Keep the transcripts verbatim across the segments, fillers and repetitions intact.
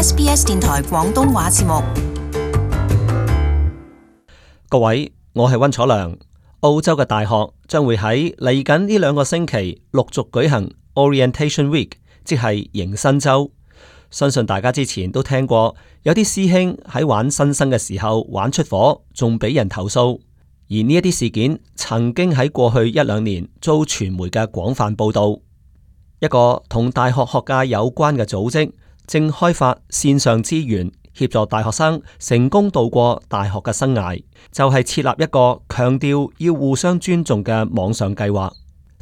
S B S 電台廣東話節目。各位，我係溫楚良。澳洲嘅大學將會喺嚟緊呢兩個星期陸續舉行 Orientation Week， 即係迎新週。相信大家之前都聽過，有啲師兄喺玩新生嘅時候玩出火，仲俾人投訴。而呢一啲事件曾經喺過去一兩年遭傳媒嘅廣泛報道。一個同大學學界有關嘅組織正開發線上資源，協助大學生成功度過大學嘅生涯，就係設立一個強調要互相尊重嘅網上計劃。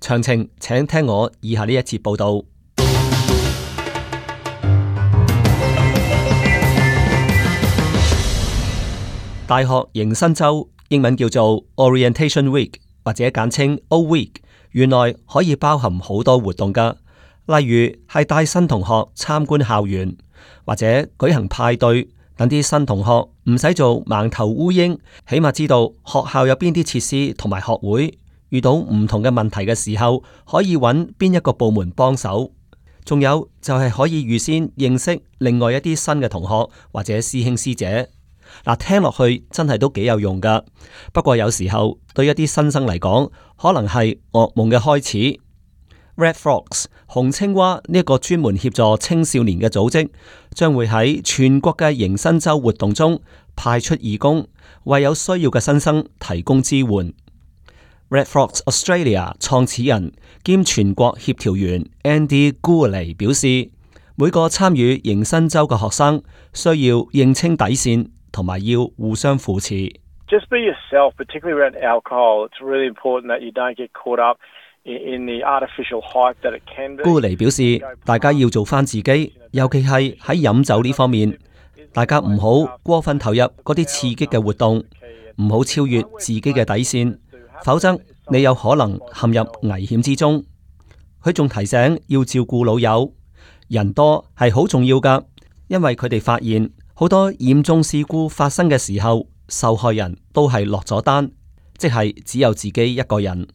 詳情請聽我以下呢一節報道。大學迎新週，英文叫做 Orientation Week 或者簡稱 O Week， 原來可以包含好多活動㗎，例如係帶新同學參觀校園，或者舉行派對，等啲新同學唔使做盲頭烏蠅，起碼知道學校有邊啲設施同埋學會，遇到唔同嘅問題嘅時候可以揾邊一個部門幫手。仲有就係可以預先認識另外一啲新嘅同學或者師兄師姐。嗱，聽落去真係都幾有用噶。不過有時候對一啲新生嚟講，可能係噩夢嘅開始。Red Frogs 紅青蛙呢一個專門協助青少年嘅組織，將會喺全國嘅迎新週活動中派出義工，為有需要嘅新生提供支援。Red Frogs Australia 創始人兼全國協調員 Andy Gourley 表示，每個參與迎新週嘅學生需要認清底線，同埋要互相扶持。Just be yourself, particularly around alcohol. It's really important that you don't get caught up in the artificial hype that it can be. 高尼表示，大家要做翻自己，尤其係喺飲酒呢方面，大家唔好過分投入嗰啲刺激嘅活動，唔好超越自己嘅底線，否則你有可能陷入危險之中。佢仲提醒要照顧老友，人多係好重要噶，因為佢哋發現好多嚴重事故發生嘅時候，受害人都係落咗單，即係只有自己一個人。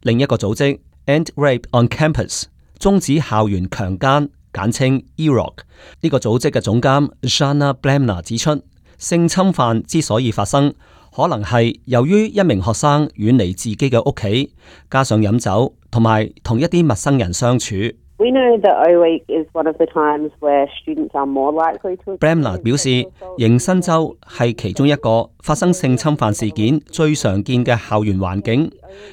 另一個組織 End Rape on Campus 終止校園強姦，簡稱 E R O C， 呢個組織嘅總監 Shana Blamner 指出，性侵犯之所以發生，可能係由於一名學生遠離自己嘅屋企，加上飲酒同埋同一啲陌生人相處。We know that O Week is one of the times where students are more likely to. Bramler 表示，迎新週係其中一個發生性侵犯事件最常見嘅校園環境，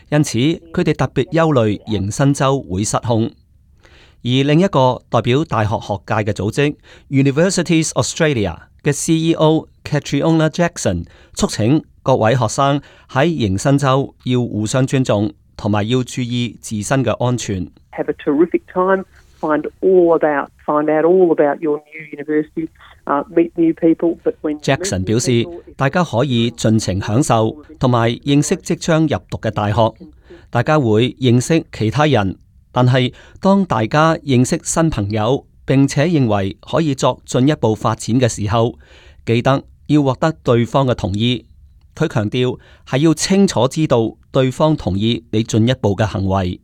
因此佢哋特別憂慮迎新週會失控。而另一個代表大學學界嘅組織 Universities Australia 嘅 C E O Catriona Jackson 促請各位學生喺迎新週要互相尊重，同埋要注意自身嘅安全。Have a terrific time. Find all about, find out all about your new university. Uh, meet new people. But when Jackson 表示，大家可以盡情享受，同埋認識即將入讀嘅大學。大家會認識其他人，但係當大家認識新朋友，並且認為可以作進一步發展嘅時候，記得要獲得對方嘅同意。佢強調係要清楚知道對方同意你進一步嘅行為。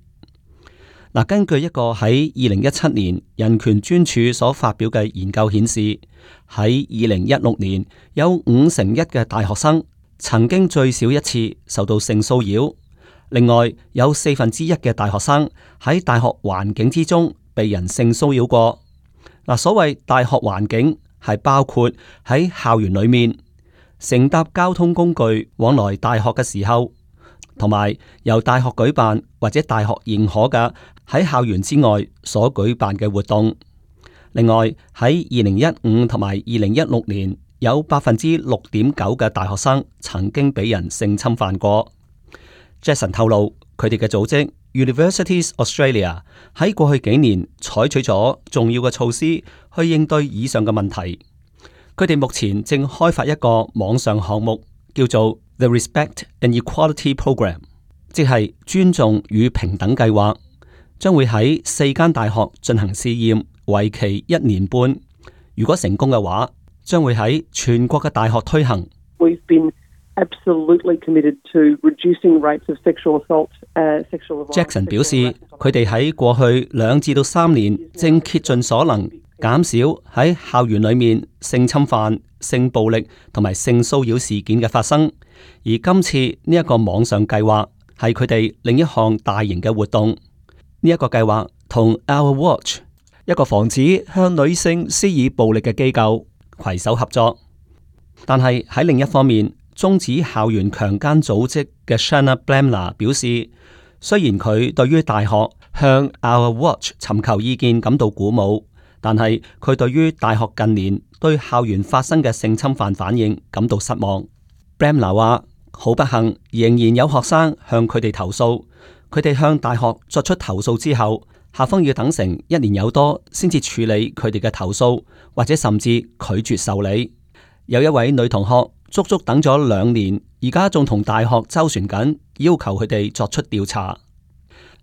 嗱，根據一個喺二零一七年人權專署所發表嘅研究顯示，喺二零一六年有五成一嘅大學生曾經最少一次受到性騷擾，另外有四分之一嘅大學生喺大學環境之中被人性騷擾過。嗱，所謂大學環境係包括喺校園裏面乘搭交通工具往來大學嘅時候，同埋由大學舉辦或者大學認可嘅喺校園之外所舉辦嘅活動。另外喺二零一五同埋二零一六年，有百分之六點九嘅大學生曾經俾人性侵犯過。Jason 透露，佢哋嘅組織 Universities Australia 喺過去幾年採取咗重要嘅措施去應對以上嘅問題。佢哋目前正開發一個網上項目，叫做 The Respect and Equality Program， 即係尊重與平等計劃，將會喺四間大學進行試驗，為期一年半。如果成功嘅話，將會喺全國嘅大學推行。We've been absolutely committed to reducing rates of sexual assault, uh, sexual violence. Jackson 表示，佢哋喺過去兩至到三年正竭盡所能減少喺校園裏面性侵犯、性暴力同埋性騷擾事件嘅發生。而今次呢一個網上計劃係佢哋另一項大型嘅活動。呢一個計劃同 Our Watch 一個防止向女性施以暴力嘅機構攜手合作。但係喺另一方面，終止校園強姦組織嘅 Shanna Blamler 表示，雖然佢對於大學向 Our Watch 尋求意見感到鼓舞，但係佢對於大學近年對校園發生嘅性侵犯反應感到失望。Blamler 話：好不幸，仍然有學生向佢哋投訴。佢哋向大學作出投訴之後，校方要等成一年有多先至處理佢哋嘅投訴，或者甚至拒絕受理。有一位女同學足足等咗兩年，而家仲同大學周旋緊，要求佢哋作出調查。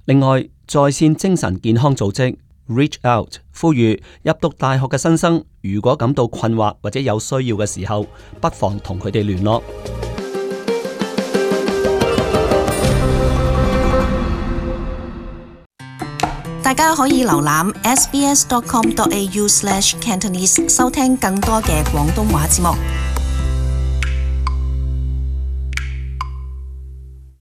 另外，在線精神健康組織 Reach Out 呼籲入讀大學嘅新生，如果感到困惑或者有需要嘅時候，不妨同佢哋聯絡。大家可以瀏覽 s b s dot com dot a u slash cantonese 收聽更多嘅廣東話節目。